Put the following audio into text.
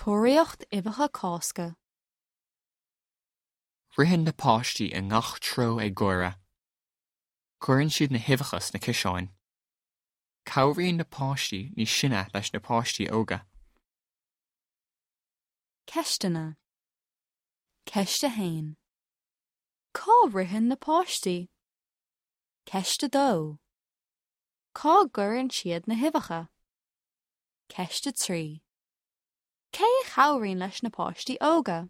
Tóraíocht Uibheacha Cásca. Ritheann na páistí i ngach treo ag gáire. Cuireann siad na huibheacha sna ciseáin. Cabhraíonn na páistí níos sine leis na páistí óga. Ceisteanna. Ceist 1. Cá ritheann na páistí? Ceist 2. Cá gcuireann siad na huibheacha? Ceist 3. Cé a chabhraíonn leis na páistí óga?